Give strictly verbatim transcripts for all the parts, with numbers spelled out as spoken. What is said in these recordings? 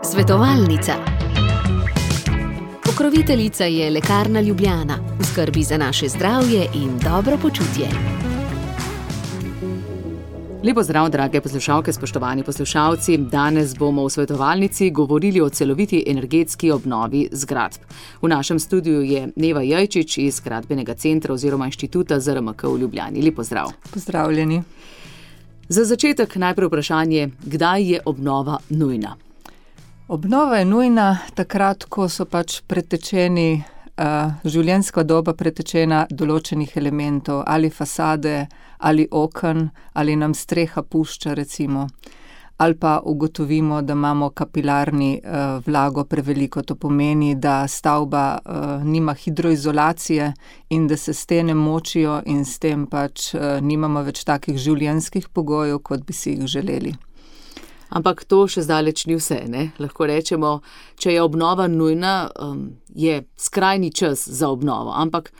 Svetovalnica. Pokroviteljica je Lekarna Ljubljana, v skrbi za naše zdravje in dobro počutje. Lepo zdrav, drage poslušalke, spoštovani poslušalci. Danes bomo v svetovalnici govorili o celoviti energetski obnovi zgradb. V našem studiu je Neva Jajčič iz Gradbenega centra oziroma inštituta Z R M K v Ljubljani. Lepo zdrav. Pozdravljeni. Za začetek najprej vprašanje, kdaj je obnova nujna? Obnova je nujna takrat, ko so pač pretečeni, uh, življenjska doba pretečena določenih elementov, ali fasade, ali oken, ali nam streha pušča recimo, ali pa ugotovimo, da imamo kapilarni uh, vlago preveliko. To pomeni, da stavba uh, nima hidroizolacije in da se stene močijo in s tem pač uh, nimamo več takih življenjskih pogojev, kot bi si jih želeli. Ampak to še zdaleč ni vse, ne? Lahko rečemo, če je obnova nujna, um, je skrajni čas za obnovo, ampak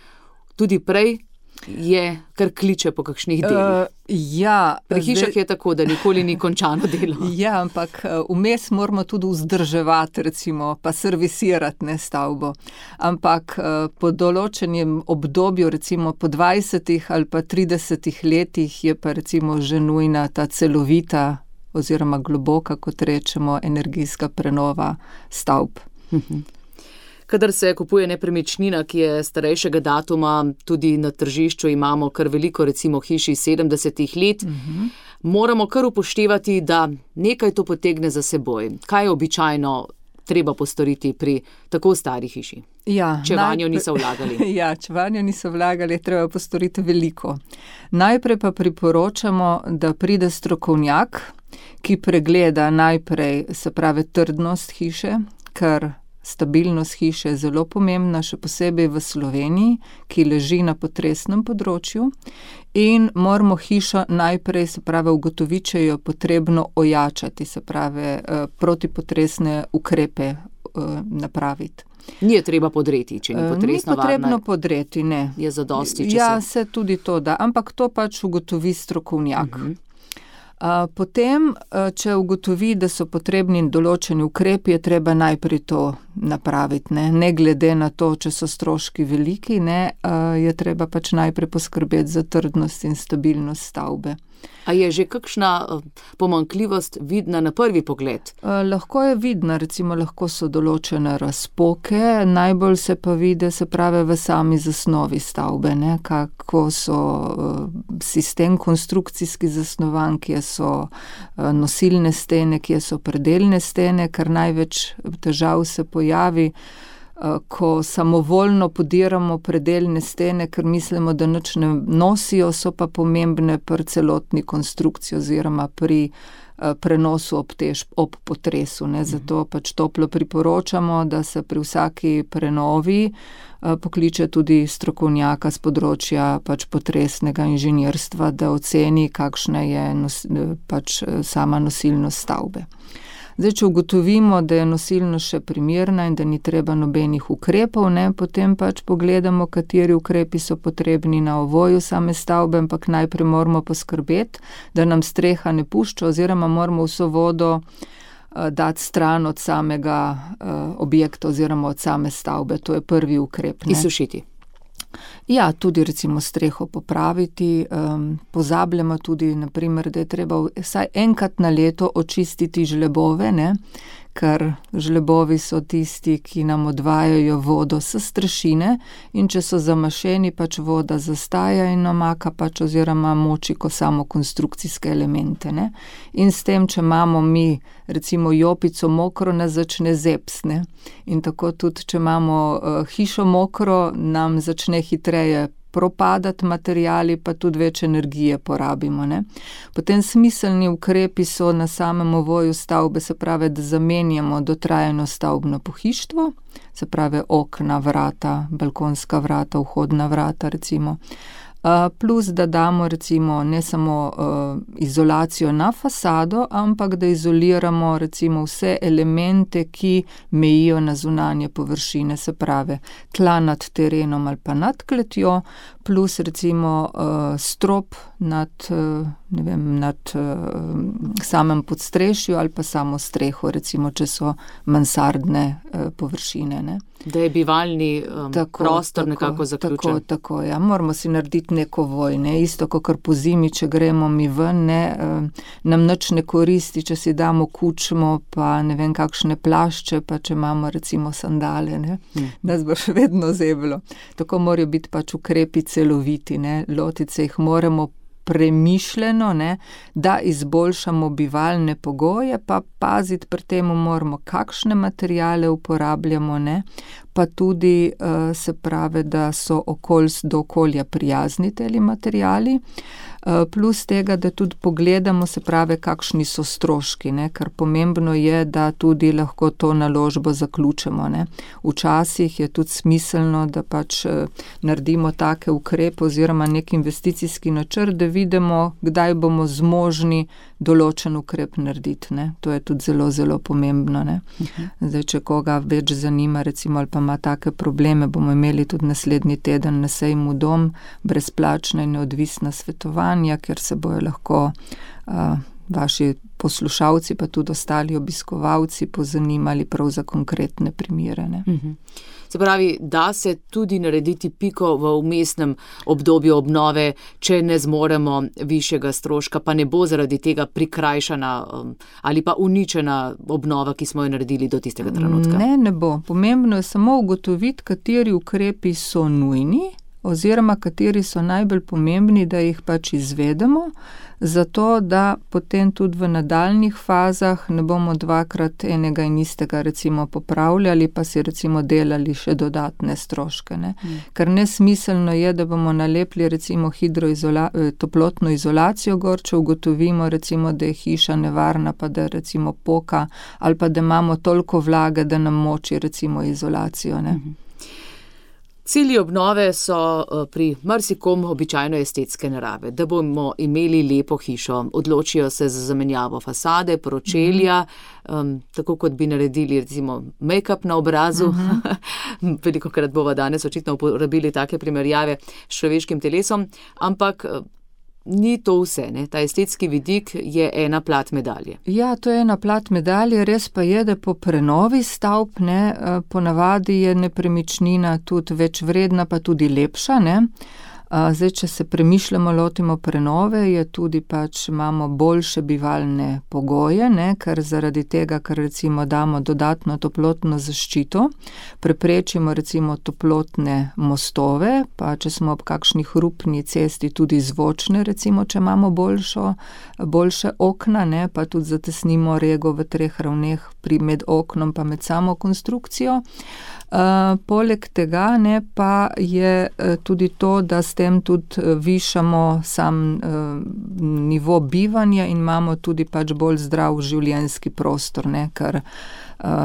tudi prej je kar kliče po kakšnih delih. Uh, ja, Pri hišah je tako, da nikoli ni končano delo. Ja, ampak vmes moramo tudi vzdrževati, recimo, pa servisirati ne stavbo. Ampak uh, po določenem obdobju, recimo po dvajsetih ali pa tridesetih letih, je pa recimo že nujna ta celovita oziroma globoka, kot rečemo, energijska prenova stavb. Kadar se kupuje nepremičnina, ki je starejšega datuma, tudi na tržišču imamo kar veliko, recimo hiši sedemdesetih let, uh-huh. moramo kar upoštevati, da nekaj to potegne za seboj. Kaj je običajno treba postoriti pri tako stari hiši? Ja, če vanjo najprej, niso vlagali. Ja, če vanjo niso vlagali, je treba postoriti veliko. Najprej pa priporočamo, da pride strokovnjak, ki pregleda najprej, se pravi, trdnost hiše, ker stabilnost hiše je zelo pomembna, še posebej v Sloveniji, ki leži na potresnem področju, in moramo hišo najprej, se pravi, ugotoviti, če jo potrebno ojačati, se pravi, protipotresne ukrepe napraviti. Ni je treba podreti, če ni potresno varna. Ni potrebno podreti, ne. Je zadosti, če ja, se... se tudi to da, ampak to pač ugotovi strokovnjak. Uh-huh. Uh, potem, uh, če ugotovi, da so potrebni določeni ukrepi, je treba najprej to napraviti, ne, ne glede na to, če so stroški veliki, ne, uh, je treba pač najprej poskrbeti za trdnost in stabilnost stavbe. A je že kakšna pomanjkljivost vidna na prvi pogled? Uh, lahko je vidna, recimo lahko so določene razpoke, najbolj se pa vidi, se pravi, v sami zasnovi stavbe, ne, kako so uh, sistem konstrukcijski zasnovan, kje so uh, nosilne stene, kje so predelne stene, ker največ težav se pojavi, ko samovoljno podiramo predelne stene, ker mislimo, da nič ne nosijo, so pa pomembne pri celotni konstrukciji oziroma pri prenosu ob, tež, ob potresu. Ne. Zato pač toplo priporočamo, da se pri vsaki prenovi pokliče tudi strokovnjaka z področja pač potresnega inženirstva, da oceni, kakšna je nos, pač sama nosilnost stavbe. Zdaj, če ugotovimo, da je nosilnost še primerna in da ni treba nobenih ukrepov, ne, potem pač pogledamo, kateri ukrepi so potrebni na ovoju same stavbe, ampak najprej moramo poskrbeti, da nam streha ne pušča oziroma moramo vso vodo uh, dati stran od samega uh, objekta oziroma od same stavbe. To je prvi ukrep. Ne. Izsušiti. Ja, tudi recimo streho popraviti, um, pozabljamo tudi, naprimer, da je treba vsaj enkrat na leto očistiti žlebove, ne, ker žlebovi so tisti, ki nam odvajajo vodo s strešine in če so zamašeni, pač voda zastaja in namaka pač oziroma moči ko samo konstrukcijske elemente, ne. In s tem, če imamo mi recimo jopico mokro, nas začne zeps, ne. In tako tudi, če imamo uh, hišo mokro, nam začne hitreje propadati materijali, pa tudi več energije porabimo. Ne? Potem smiselni ukrepi so na samem ovoju stavbe, se pravi, da zamenjamo dotrajano stavbno pohištvo, se pravi okna, vrata, balkonska vrata, vhodna vrata recimo. plus da damo recimo ne samo izolacijo na fasado, ampak da izoliramo recimo vse elemente, ki mejijo na zunanje površine, se pravi tla nad terenom ali pa nad kletjo, plus recimo strop nad, ne vem, nad samem podstrešju ali pa samo streho, recimo, če so mansardne površine, ne. Da je bivalni um, tako, prostor tako, nekako zaključen. Tako, tako, ja. Moramo si narediti neko voj, ne. Isto, kakor po zimi, če gremo mi ven, ne, nam nič ne koristi, če si damo kučmo, pa ne vem, kakšne plašče, pa če imamo recimo sandale, ne. Hmm. Nas bo še vedno zeblo. Tako morajo biti pač ukrepi celoviti, ne. Lotiti se jih moramo premišljeno, ne, da izboljšamo bivalne pogoje, pa paziti pri temu moramo, kakšne materiale uporabljamo, ne, pa tudi uh, se pravi, da so okoljs, do okolja prijazni teli materiali, uh, plus tega, da tudi pogledamo, se pravi, kakšni so stroški, ne, ker pomembno je, da tudi lahko to naložbo zaključimo, ne. Včasih je tudi smiselno, da pač uh, naredimo take ukrepe oziroma nek investicijski načrt, da vidimo, kdaj bomo zmožni določen ukrep narediti, ne. To je tudi zelo, zelo pomembno, ne. Uh-huh. Zdaj, če koga več zanima, recimo, ali pa ima take probleme, bomo imeli tudi naslednji teden na sejmu Dom brezplačna in neodvisna svetovanja, kjer se bojo lahko uh, vaši poslušalci, pa tudi ostali obiskovalci pozanimali prav za konkretne primere, ne. Uh-huh. Se pravi, da se tudi narediti piko v vmesnem obdobju obnove, če ne zmoremo višjega stroška, pa ne bo zaradi tega prikrajšana um, ali pa uničena obnova, ki smo jo naredili do tistega trenutka. Ne, ne bo. Pomembno je samo ugotoviti, kateri ukrepi so nujni, oziroma kateri so najbolj pomembni, da jih pač izvedemo, zato da potem tudi v nadaljnjih fazah ne bomo dvakrat enega in istega recimo popravljali, pa si recimo delali še dodatne stroške, ne. Mm. Ker nesmiselno je, da bomo nalepili recimo hidroizola, toplotno izolacijo gor, če ugotovimo recimo, da je hiša nevarna, pa da recimo poka, ali pa da imamo toliko vlage, da nam moči recimo izolacijo, ne. Mm-hmm. Cilji obnove so pri marsikom običajno estetske narave, da bomo imeli lepo hišo. Odločijo se za zamenjavo fasade, pročelja, mm. um, tako kot bi naredili recimo make-up na obrazu. Mm-hmm. Velikokrat bova danes očitno uporabili take primerjave s človeškim telesom, ampak ni to vse, ne? Ta estetski vidik je ena plat medalje. Ja, to je ena plat medalje, res pa je, da po prenovi stavb, ne, ponavadi je nepremičnina tudi več vredna, pa tudi lepša, ne. Zdaj, če se premišljamo, lotimo prenove, je tudi pač imamo boljše bivalne pogoje, ne, ker zaradi tega, ker recimo damo dodatno toplotno zaščito, preprečimo recimo toplotne mostove, pa če smo ob kakšni hrupni cesti tudi zvočne, recimo, če imamo boljšo, boljše okna, ne, pa tudi zatesnimo rego v treh ravneh pri med oknom pa med samo konstrukcijo. Uh, poleg tega, ne, pa je uh, tudi to, da s tem tudi uh, višamo sam uh, nivo bivanja in imamo tudi pač bolj zdrav življenjski prostor, ne, ker uh,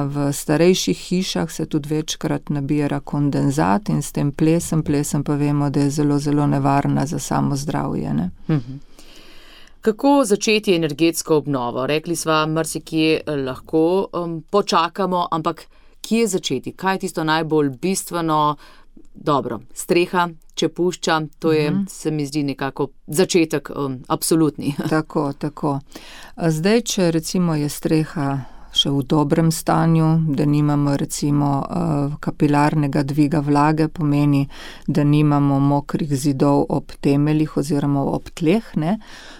v starejših hišah se tudi večkrat nabira kondenzat in s tem plesem, plesem pa vemo, da je zelo, zelo nevarna za samo zdravje, ne. Mhm. Kako začeti energetsko obnovo? Rekli sva, marsikje lahko um, počakamo, ampak kje začeti? Kaj je tisto najbolj bistveno? Dobro, streha, če pušča, to je, mm-hmm. se mi zdi nekako začetek um, absolutni. Tako, tako. Zdaj, če recimo je streha še v dobrem stanju, da nimamo recimo kapilarnega dviga vlage, pomeni, da nimamo mokrih zidov ob temeljih oziroma ob tleh, ne.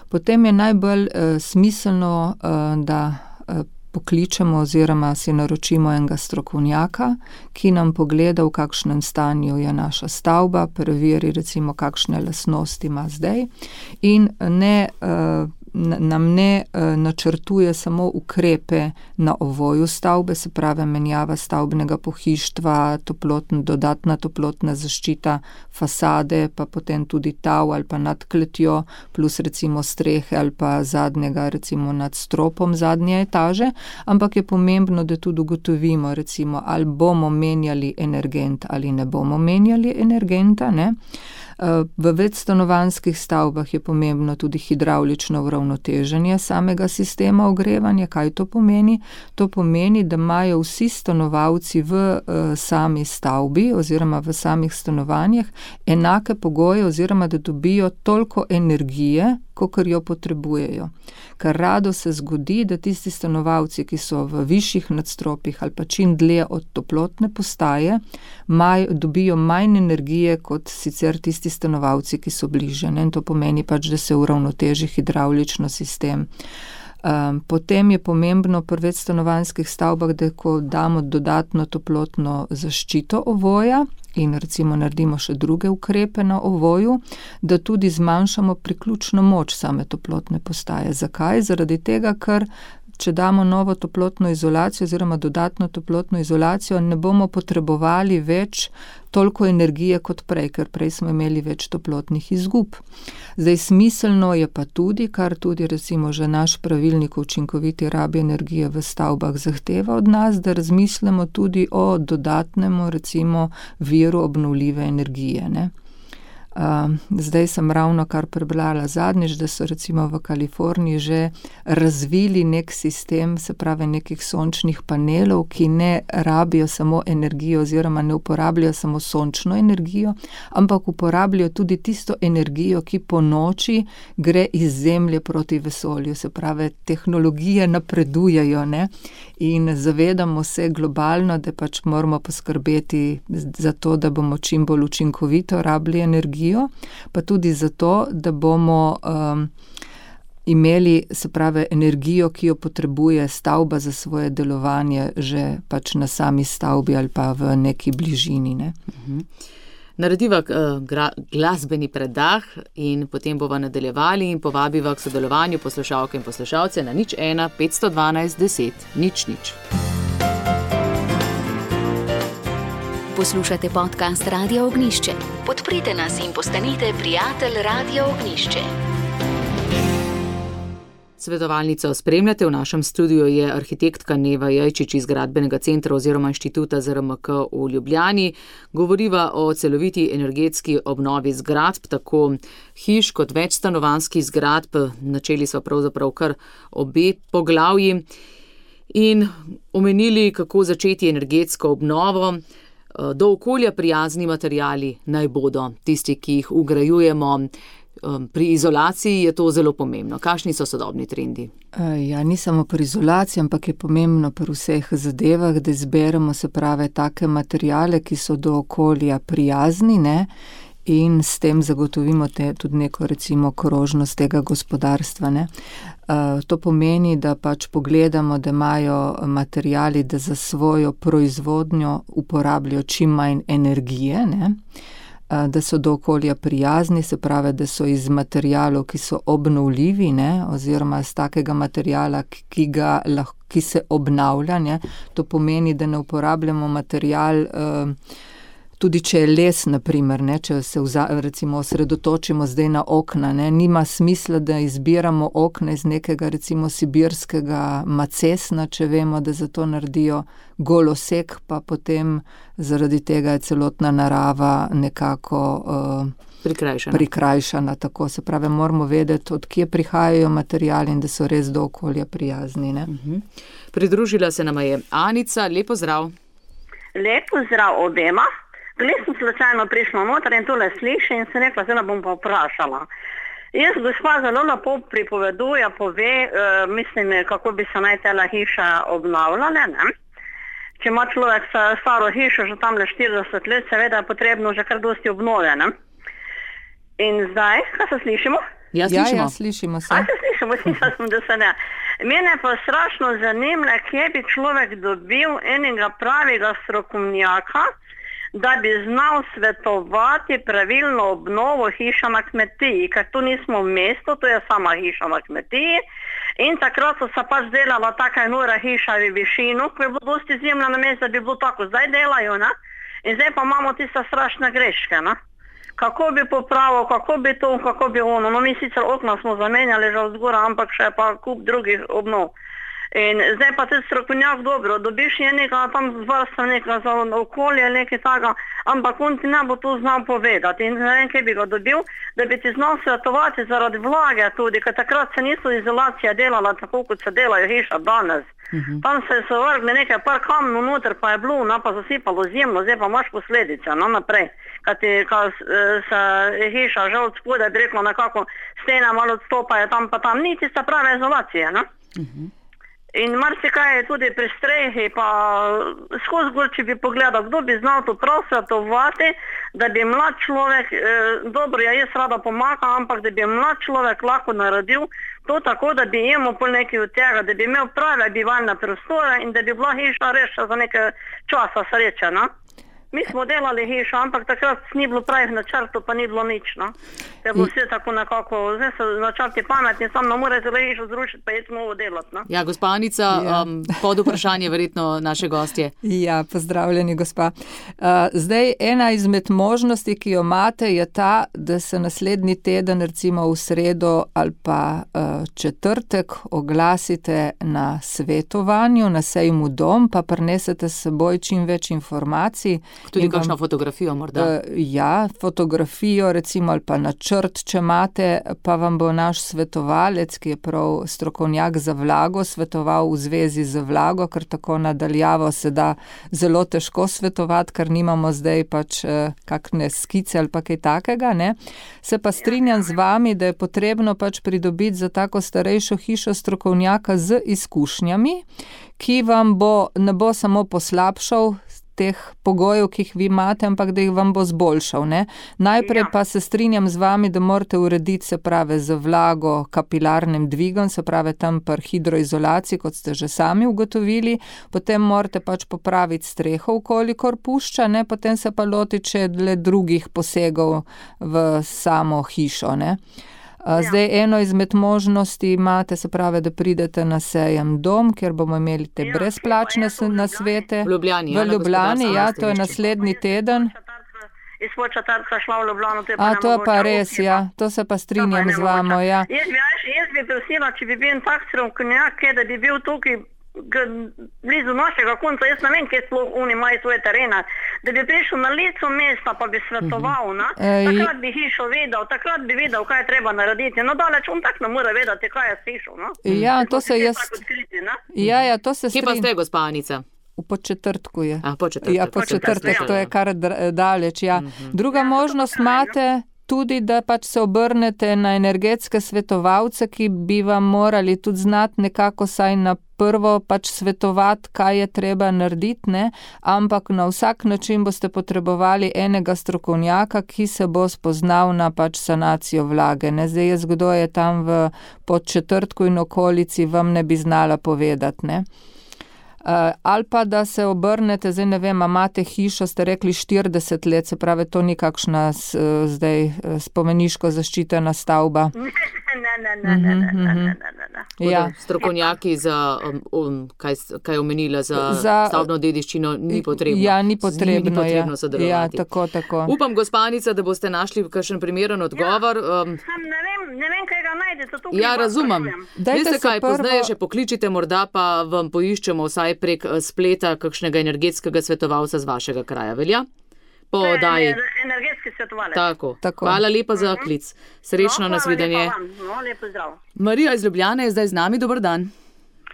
Potem je najbolj uh, smiselno, uh, da uh, pokličemo oziroma si naročimo enega strokovnjaka, ki nam pogleda, v kakšnem stanju je naša stavba, preveri recimo, kakšne lastnosti ima zdaj in ne uh, nam ne načrtuje samo ukrepe na ovoju stavbe, se pravi menjava stavbnega pohištva, toplotna, dodatna toplotna zaščita fasade, pa potem tudi tav ali pa nad kletjo, plus recimo strehe ali pa zadnjega, recimo nad stropom zadnje etaže, ampak je pomembno, da tudi ugotovimo, recimo, ali bomo menjali energent ali ne bomo menjali energenta, ne. V večstanovanjskih stavbah je pomembno tudi hidravlično uravnoteženje samega sistema ogrevanja. Kaj to pomeni? To pomeni, da imajo vsi stanovalci v sami stavbi oziroma v samih stanovanjih enake pogoje oziroma da dobijo toliko energije, kakor jo potrebujejo. Ker rado se zgodi, da tisti stanovalci, ki so v višjih nadstropjih ali pa čim dlje od toplotne postaje, maj, dobijo manj energije kot sicer tisti stanovalci, ki so bliže. Ne? In to pomeni pač, da se uravnoteži hidravlično sistem. Um, potem je pomembno pri večstanovanjskih stavbah, da ko damo dodatno toplotno zaščito ovoja in recimo naredimo še druge ukrepe na ovoju, da tudi zmanjšamo priključno moč same toplotne postaje. Zakaj? Zaradi tega, ker če damo novo toplotno izolacijo oziroma dodatno toplotno izolacijo, ne bomo potrebovali več toliko energije kot prej, ker prej smo imeli več toplotnih izgub. Zdaj, smiselno je pa tudi, kar tudi recimo že naš pravilnik o učinkoviti rabi energije v stavbah zahteva od nas, da razmislimo tudi o dodatnemu recimo viru obnovljive energije, ne. Uh, zdaj sem ravno kar prebrala zadnjič, da so recimo v Kaliforniji že razvili nek sistem, se pravi nekih sončnih panelov, ki ne rabijo samo energijo oziroma ne uporabljajo samo sončno energijo, ampak uporabljajo tudi tisto energijo, ki po noči gre iz Zemlje proti vesolju. Se pravi, tehnologije napredujejo, ne? In zavedamo se globalno, da pač moramo poskrbeti za to, da bomo čim bolj učinkovito rabili energijo, pa tudi zato, da bomo um, imeli, se pravi, energijo, ki jo potrebuje stavba za svoje delovanje že pač na sami stavbi ali pa v neki bližini, ne. Mhm. Narediva uh, gra, glasbeni predah in potem bova nadaljevali in povabiva k sodelovanju poslušalke in poslušalce na nič ena petsto dvanajst deset nič nič. Poslušate podcast Radia Ognjišče. Podprite nas in postanite prijatelj Radia Ognjišče. Svetovalnico spremljate, v našem studiu je arhitektka Neva Jajčič iz Gradbenega centra oziroma Inštituta Z R M K v Ljubljani. Govoriva o celoviti energetski obnovi zgradb, tako hiš kot večstanovanjskih zgradb. Načeli sva pravzaprav kar obe poglavji in omenili, kako začeti energetsko obnovo. Do okolja prijazni materiali naj bodo tisti, ki jih vgrajujemo. Pri izolaciji je to zelo pomembno. Kakšni so sodobni trendi? Ja, ni samo pri izolaciji, ampak je pomembno pri vseh zadevah, da izberemo, se pravi, take materiale, ki so do okolja prijazni, ne, in s tem zagotovimo te, tudi neko recimo krožnost tega gospodarstva, ne. Uh, to pomeni, da pač pogledamo, da imajo materiali, da za svojo proizvodnjo uporabljajo čim manj energije, ne. Da so do okolja prijazni, se pravi, da so iz materialov, ki so obnovljivi, ne, oziroma iz takega materijala, ki, ga lahko, ki se obnavlja, ne. To pomeni, da ne uporabljamo material, uh, tudi če je les, na primer, ne, če se vza, recimo osredotočimo zdaj na okna, ne, nima smisla, da izbiramo okna iz nekega recimo sibirskega macesna, če vemo, da za to naredijo golosek, pa potem zaradi tega je celotna narava nekako uh, prikrajšana. prikrajšana. Tako se pravi, moramo vedeti, od kje prihajajo materiali in da so res do okolja prijazni, ne. Uh-huh. Pridružila se nama je Anica, lepo zdrav. Lepo zdrav obema. Gle sem slučajno prišla noter in tole sliši in sem rekla, zdaj bom pa vprašala. Jaz gospa zelo lepo pripoveduje, pove, uh, mislim, kako bi se naj tela hiša obnavljala, ne? Če ima človek staro hišo, že tam le štirideset let, seveda je potrebno že kar dosti obnove, ne? In zdaj, kaj se slišimo? Ja, slišimo. Ja, ja, slišimo se. A se slišimo, slišala sem, da se ne. Mene pa strašno zanimlja, kje bi človek dobil enega pravega strokovnjaka da bi znal svetovati pravilno obnovo hiša na kmetiji, ker tu nismo v mestu, to je sama hiša na kmetiji. In takrat so se pač delala taka nora hiša v višino, ko je bilo dosti zemlja na mestu, da bi bilo tako, zdaj delajo, ne? In zdaj pa imamo tiste strašne greške, ne? Kako bi popravil, kako bi to, kako bi ono. No, mi sicer okna smo zamenjali že vzgora, ampak še pa kup drugih obnov. In zdaj pa tudi strokovnjak dobro, dobiš je nekaj tam zvrsta nekaj za okolje, nekaj taka, ampak on ti ne bo to znal povedati. In ne vem, kaj bi ga dobil, da bi ti znal svetovati zaradi vlage tudi, ker takrat se niso izolacija delala tako, kot se delajo hiša danes. Uh-huh. Tam se so vrgli nekaj par kamnov noter, pa je bilo, no, pa zasipalo zemljo, zdaj pa imaš posledice, no, naprej. Kad ti, kad se hiša že od spodaj, bi rekla nekako, stene malo odstopajo tam pa tam, ni tista prava izolacija, no? Uh-huh. In marsikaj je tudi pri strehi, pa skozi gor, če bi pogledal, kdo bi znal to prav svetovati, da bi mlad človek, eh, dobro, ja jaz rada pomagam, ampak da bi mlad človek lahko naredil to tako, da bi imel pol nekaj od tega, da bi imel prave bivalne prostore in da bi bila hiša rešena za nekaj časa sreče, no? Mi smo delali hišo, ampak takrat ni bilo pravih načrtov, pa ni bilo nič, no. Je bilo vse tako nekako, zdaj so načrti pametni, sam ne more zelo hišo zrušiti, pa je novo delati, no. Ja, gospa Anica, ja. Um, pod vprašanje verjetno naše gostje. Ja, pozdravljeni, gospa. Uh, zdaj, ena izmed možnosti, ki jo imate, je ta, da se naslednji teden, recimo v sredo ali pa uh, četrtek, oglasite na svetovanju, na sejmu Dom, pa prinesete s seboj čim več informacij. Tudi kakšno fotografijo morda? Uh, ja, fotografijo recimo ali pa načrt, če imate, pa vam bo naš svetovalec, ki je prav strokovnjak za vlago, svetoval v zvezi z vlago, ker tako nadaljavo se da zelo težko svetovati, ker nimamo zdaj pač uh, kakšne skice ali pa kaj takega, ne. Se pa strinjam z vami, da je potrebno pač pridobiti za tako starejšo hišo strokovnjaka z izkušnjami, ki vam bo, ne bo samo poslabšal teh pogojev, ki jih vi imate, ampak da jih vam bo zboljšal, ne. Najprej ja. Pa se strinjam z vami, da morate urediti, se prave, z vlago kapilarnim dvigom, se prave tam pri hidroizolaciji, kot ste že sami ugotovili, potem morate pač popraviti streho, kolikor pušča, ne, potem se pa lotiti še le drugih posegov v samo hišo, ne. Zdaj, eno izmed možnosti imate, se pravi, da pridete na sejem Dom, kjer bomo imeli te brezplačne nasvete. V Ljubljani, v Ljubljani, ja, to je naslednji teden. Iz Početrtka šla v Ljubljano, to je pa A, to je pa res, ja, to se pa strinjam z vamo, ja. Jaz bi, jaz bi prosila, če bi bil tak strokovnjak, da bi bil tukaj blizu našega konca, jaz ne vem, kje sploh oni imajo svoje terene, da bi prišel na licu mesta, pa bi svetoval, ne? Takrat bi hišo vedel, takrat bi vedel, kaj je treba narediti. No, daleč on tak ne mora vedeti, kaj je s hišo, no? Ja, to se jaz... Ja, ja, to se strinjam. Kje pa ste, gospa Anica? V Početrtku je. A, Početrtek. Ja, Početrtek, to je kar daleč, ja. Druga možnost imate tudi, da pač se obrnete na energetske svetovalce, ki bi vam morali tudi znati nekako saj na prvo pač svetovati, kaj je treba narediti, ne, ampak na vsak način boste potrebovali enega strokovnjaka, ki se bo spoznal na pač sanacijo vlage, ne. Zdaj jaz, kdo je tam v Podčetrtku in okolici, vam ne bi znala povedati, ne. Uh, ali pa da se obrnete, zdaj ne vem, imate hišo, ste rekli štirideset let, se pravi, to ni kakšna s, zdaj spomeniško zaščitena stavba. Ne, ne, ne, ne, ne, ne, ne, ne, ne. Ja. Strokovnjaki za, um, um, kaj, kaj je omenila, za, za stavbno dediščino ni potrebno. Ja, ni potrebno, ni potrebno ja. sodelovati. Ja, tako, tako. Upam, gospa Anica, da boste našli kakšen primeren odgovor. Ja, um, ne vem, ne vem, kaj ga najdete. Ja, razumem. Veste kaj, prvo... poznaje še pokličite, morda pa vam poiščemo vsaj prek spleta kakšnega energetskega svetovalca z vašega kraja, velja? Po oddaji. Energetski svetovalec. Tako. Tako. Hvala lepa za klic. Srečno, no, nasvidenje. No, lepo zdrav. Marija iz Ljubljane je zdaj z nami. Dober dan.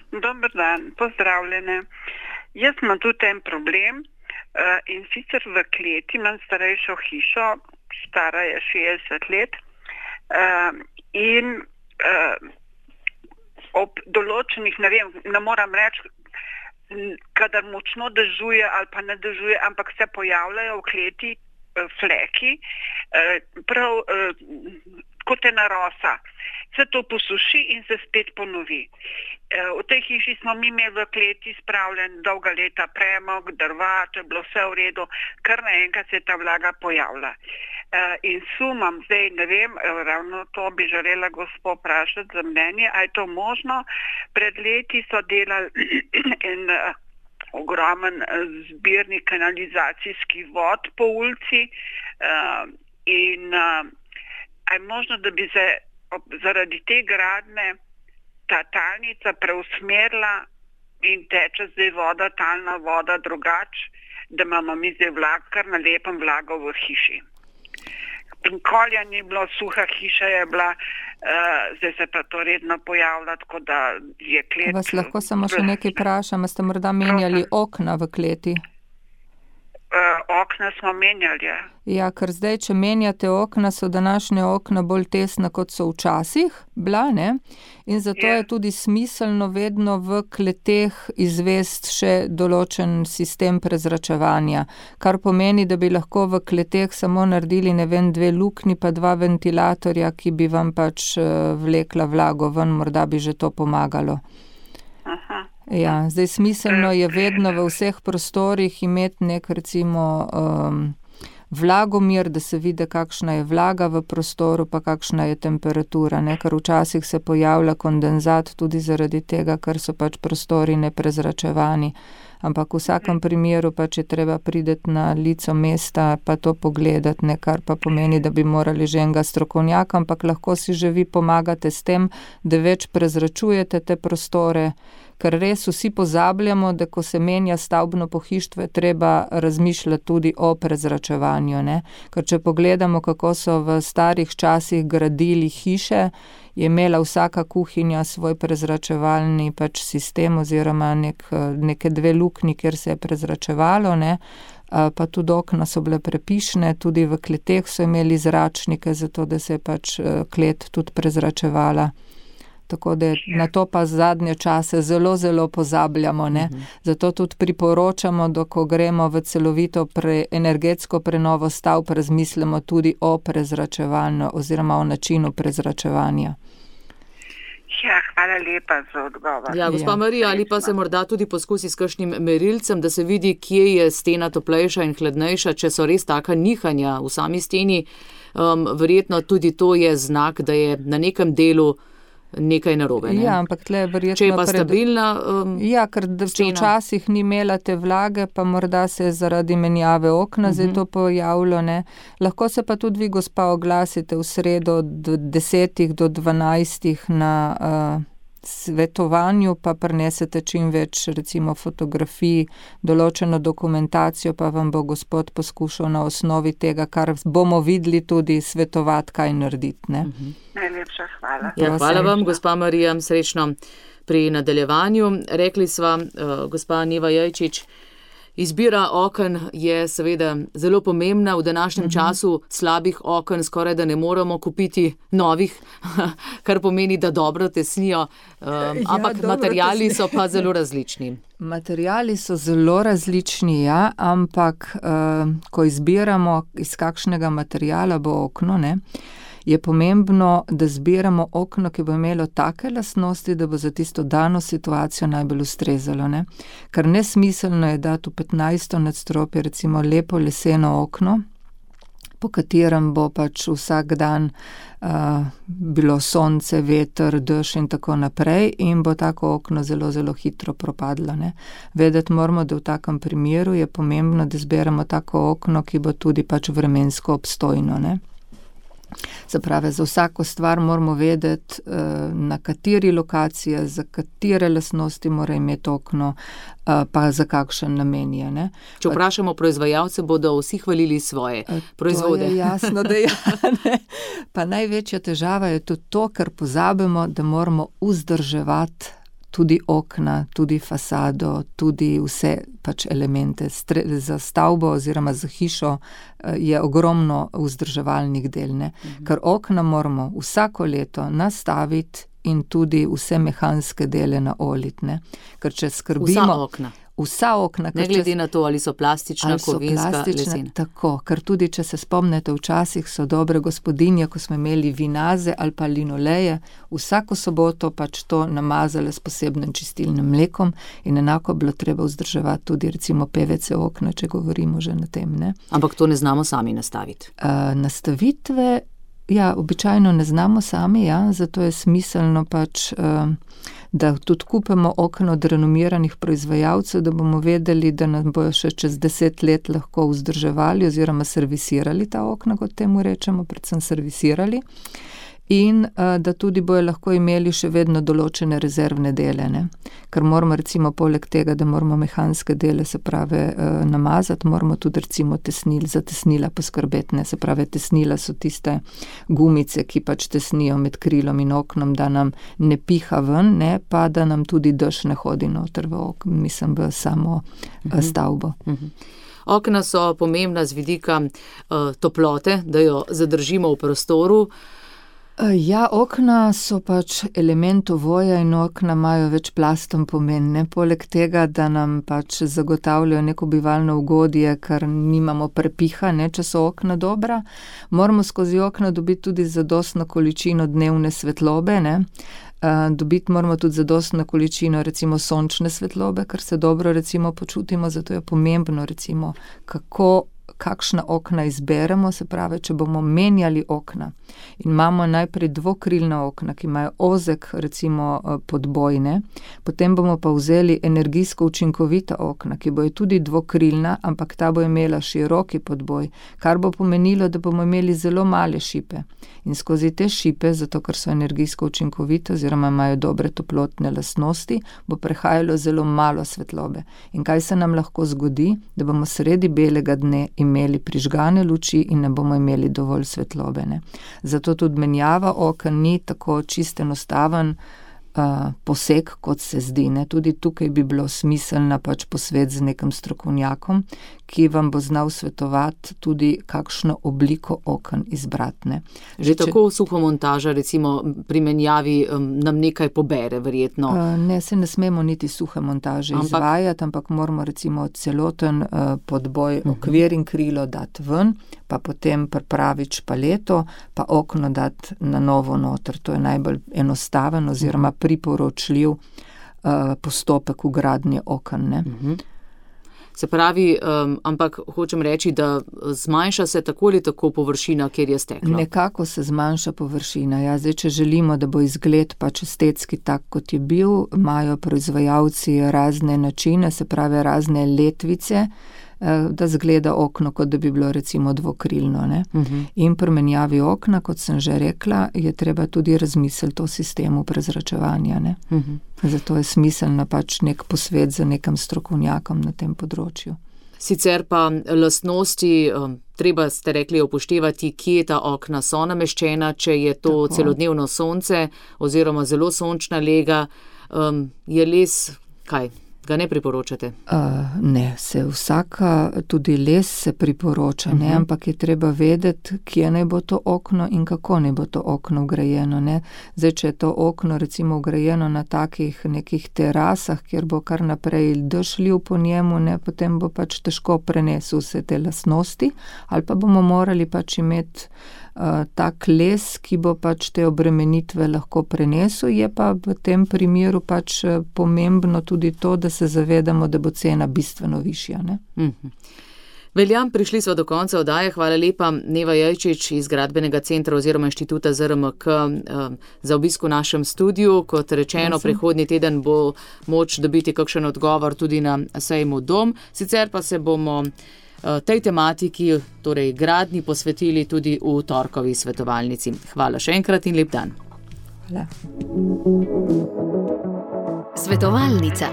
Dober dan, pozdravljene. Jaz imam tudi en problem uh, in sicer v kleti imam starejšo hišo, stara je šestdeset let uh, in uh, ob določenih, ne vem, ne moram reči, kadar močno dežuje ali pa ne dežuje, ampak se pojavljajo v kleti fleki, prav kot ena rosa. Se to posuši in se spet ponovi. V tej hiši smo mi imeli v kleti spravljen dolga leta premog, drva, to je bilo vse v redu, kar naenkrat se je ta vlaga pojavila. In sumam zdaj, ne vem, ravno to bi želela gospo vprašati za mnenje, a je to možno. Pred leti so delali en ogromen zbirnik kanalizacijskih vod po ulici in a je možno, da bi se zaradi te gradnje ta talnica preusmerila in teče zdaj voda, talna voda drugače, da imamo mi zdaj vlag, kar na lepem vlago v hiši. Nikoli ni bilo, suha hiša je bila, uh, zdaj se pa to redno pojavlja, tako da je klet... Vas lahko samo še nekaj vprašam, ste morda menjali okna v kleti? Uh, okna smo menjali, ja. Ja, ker zdaj, če menjate okna, so današnje okna bolj tesna, kot so včasih bila, ne? In zato je. je tudi smiselno vedno v kleteh izvest še določen sistem prezračevanja, kar pomeni, da bi lahko v kleteh samo naredili, ne vem, dve luknji pa dva ventilatorja, ki bi vam pač vlekla vlago ven, morda bi že to pomagalo. Aha. Ja, zdaj smiselno je vedno v vseh prostorih imeti nek recimo um, vlagomir, da se vidi, kakšna je vlaga v prostoru, pa kakšna je temperatura, ne? Ker včasih se pojavlja kondenzat tudi zaradi tega, ker so pač prostori neprezračevani. Ampak v vsakem primeru pač je treba priti na lico mesta pa to pogledati, ne, kar pa pomeni, da bi morali že enega strokovnjaka, ampak lahko si že vi pomagate s tem, da več prezračujete te prostore, ker res vsi pozabljamo, da ko se menja stavbno pohištvo, je treba razmišljati tudi o prezračevanju, ne. Ker če pogledamo, kako so v starih časih gradili hiše, je imela vsaka kuhinja svoj prezračevalni pač sistem oziroma nek, neke dve luknji, kjer se je prezračevalo, ne. Pa tudi okna so bile prepišne, tudi v kleteh so imeli zračnike, zato da se je pač klet tudi prezračevala. Tako da na to pa zadnje čase zelo, zelo pozabljamo, ne. Mhm. Zato tudi priporočamo, da ko gremo v celovito pre, energetsko prenovo stavb, razmislimo tudi o prezračevanju oziroma o načinu prezračevanja. Ja, hvala lepa za odgovor. Ja, gospa ja. Marija, ali pa se morda tudi poskusi s kakšnim merilcem, da se vidi, kje je stena toplejša in hladnejša, če so res taka nihanja v sami steni. Um, verjetno tudi to je znak, da je na nekem delu nekaj narobe, ne? Ja, ampak tle verjetno... Če je pa pred... stabilna um, Ja, ker včasih ni imela te vlage, pa morda se je zaradi menjave okna uh-huh. zdaj to pojavilo, ne. Lahko se pa tudi vi, gospa, oglasite v sredo od desetih do dvanajstih na uh, svetovanju, pa prinesete čim več, recimo, fotografij, določeno dokumentacijo, pa vam bo gospod poskušal na osnovi tega, kar bomo videli, tudi svetovati, kaj narediti, ne. Uh-huh. Najlepša hvala. Ja, hvala vam, gospa Marija, srečno pri nadaljevanju. Rekli sva, uh, gospa Neva Jajčič, izbira oken je seveda zelo pomembna. V današnjem uh-huh. času slabih oken skoraj da ne moremo kupiti novih, kar pomeni, da dobro tesnijo, uh, ja, ampak materijali so pa zelo različni. Materijali so zelo različni, ja, ampak uh, ko izbiramo, iz kakšnega materijala bo okno, ne, je pomembno, da zbiramo okno, ki bo imelo take lastnosti, da bo za tisto dano situacijo najbolj ustrezalo, ne. Ker nesmiselno je dati v petnajsto nadstropje recimo lepo leseno okno, po katerem bo pač vsak dan uh, bilo sonce, veter, dež in tako naprej in bo tako okno zelo, zelo hitro propadlo, ne. Vedeti moramo, da v takem primeru je pomembno, da zberemo tako okno, ki bo tudi pač vremensko obstojno, ne. Se pravi, za vsako stvar moramo vedeti, na kateri lokaciji, za katere lastnosti mora imeti okno, pa za kakšen namen je, ne. Če vprašamo proizvajalce, bodo vsi hvalili svoje proizvode. To je jasno, da ja, ne. Pa največja težava je tudi to, ker pozabimo, da moramo vzdrževati tudi okna, tudi fasado, tudi vse pač elemente. Stre, za stavbo oziroma za hišo je ogromno vzdrževalnih del, ne. Mhm. Ker okna moramo vsako leto nastaviti in tudi vse mehanske dele naoliti, ne. Ker če skrbimo... Vsa okna. vsa okna. Ne glede če, na to, ali so plastična, ali so kovinska, plastična, lesena. Tako, ker tudi, če se spomnite, včasih so dobre gospodinje, ko smo imeli vinaze ali pa linoleje, vsako soboto pač to namazale s posebnim čistilnim mlekom in enako bilo treba vzdrževati tudi recimo P V C okna, če govorimo že na tem, ne. Ampak to ne znamo sami nastaviti. Uh, nastavitve, ja, običajno ne znamo sami, ja, zato je smiselno pač, uh, da tudi kupimo okna od renomiranih proizvajalcev, da bomo vedeli, da nam bojo še čez deset let lahko vzdrževali oziroma servisirali ta okna, kot temu rečemo, predvsem servisirali. In uh, da tudi bojo lahko imeli še vedno določene rezervne dele, ne. Ker moramo recimo poleg tega, da moramo mehanske dele, se pravi, uh, namazati, moramo tudi recimo tesnil, za tesnila poskrbeti, ne. Se pravi, tesnila so tiste gumice, ki pač tesnijo med krilom in oknom, da nam ne piha ven, ne, pa da nam tudi dež ne hodi noter v okno, mislim, v samo uh, stavbo. Uh-huh. Okna so pomembna z vidika uh, toplote, da jo zadržimo v prostoru. Ja, okna so pač element ovoja in okna imajo večplasten pomen, ne, poleg tega, da nam pač zagotavljajo neko bivalno ugodje, ker nimamo prepiha, ne, če so okna dobra, moramo skozi okna dobiti tudi zadostno količino dnevne svetlobe, ne, uh, dobiti moramo tudi zadostno količino recimo sončne svetlobe, ker se dobro recimo počutimo, zato je pomembno recimo, kako kakšna okna izberemo, se pravi, če bomo menjali okna in imamo najprej dvokrilna okna, ki imajo ozek, recimo podbojne, potem bomo pa vzeli energijsko učinkovita okna, ki bojo tudi dvokrilna, ampak ta bo imela široki podboj, kar bo pomenilo, da bomo imeli zelo male šipe. In skozi te šipe, zato ker so energijsko učinkovite oziroma imajo dobre toplotne lastnosti, bo prehajalo zelo malo svetlobe. In kaj se nam lahko zgodi? Da bomo sredi belega dne imeli prižgane luči in ne bomo imeli dovolj svetlobe, ne. Zato tudi menjava oken ni tako čist enostaven uh, poseg, kot se zdi, ne. Tudi tukaj bi bilo smiselno pač posvet z nekim strokovnjakom, ki vam bo znal svetovati tudi kakšno obliko oken izbrati, ne. Že tako suhomontaža, recimo pri menjavi um, nam nekaj pobere, verjetno. Uh, ne, se ne smemo niti suhe montaže ampak... izvajati, ampak moramo recimo celoten uh, podboj, uh-huh. okvir in krilo dati ven, pa potem pripraviti špaleto, pa okno dati na novo noter. To je najbolj enostaven oziroma priporočljiv uh, postopek vgradnje oken, ne. Uh-huh. Se pravi, um, ampak hočem reči, da zmanjša se tako ali tako površina, kjer je steklo. Nekako se zmanjša površina. Ja, zdaj, če želimo, da bo izgled pač estetski tak, kot je bil, imajo proizvajalci razne načine, se pravi razne letvice, da zgleda okno, kot da bi bilo recimo dvokrilno, ne. Uh-huh. In pri menjavi okna, kot sem že rekla, je treba tudi razmisliti o sistemu prezračevanja, ne. Uh-huh. Zato je smiselno pač nek posvet za nekim strokovnjakom na tem področju. Sicer pa lastnosti, treba ste rekli upoštevati, kje ta okna so nameščena, če je to tako. Celodnevno sonce oziroma zelo sončna lega, um, je les, kaj? Ga ne priporočate? Uh, ne, se vsaka, tudi les se priporoča, ne, uh-huh. ampak je treba vedeti, kje naj bo to okno in kako naj bo to okno vgrajeno, ne. Zdaj, če je to okno recimo vgrajeno na takih nekih terasah, kjer bo kar naprej dež lil po njemu, ne, potem bo pač težko prenesel vse te lastnosti, ali pa bomo morali pač imeti Uh, tak les, ki bo pač te obremenitve lahko prenesel, je pa v tem primeru pač pomembno tudi to, da se zavedamo, da bo cena bistveno višja, ne. Mm-hmm. Veljam, prišli smo do konca oddaje. Hvala lepa, Neva Jajčič iz Gradbenega centra oziroma inštituta Z R M K za obisk v našem studiu. Kot rečeno, prihodnji teden bo moč dobiti kakšen odgovor tudi na sejmu Dom. Sicer pa se bomo tej tematiki, torej gradnji, posvetili tudi v torkovi svetovalnici. Hvala še enkrat in lep dan. Hvala. Svetovalnica.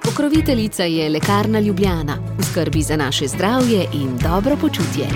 Pokroviteljica je Lekarna Ljubljana. V skrbi za naše zdravje in dobro počutje.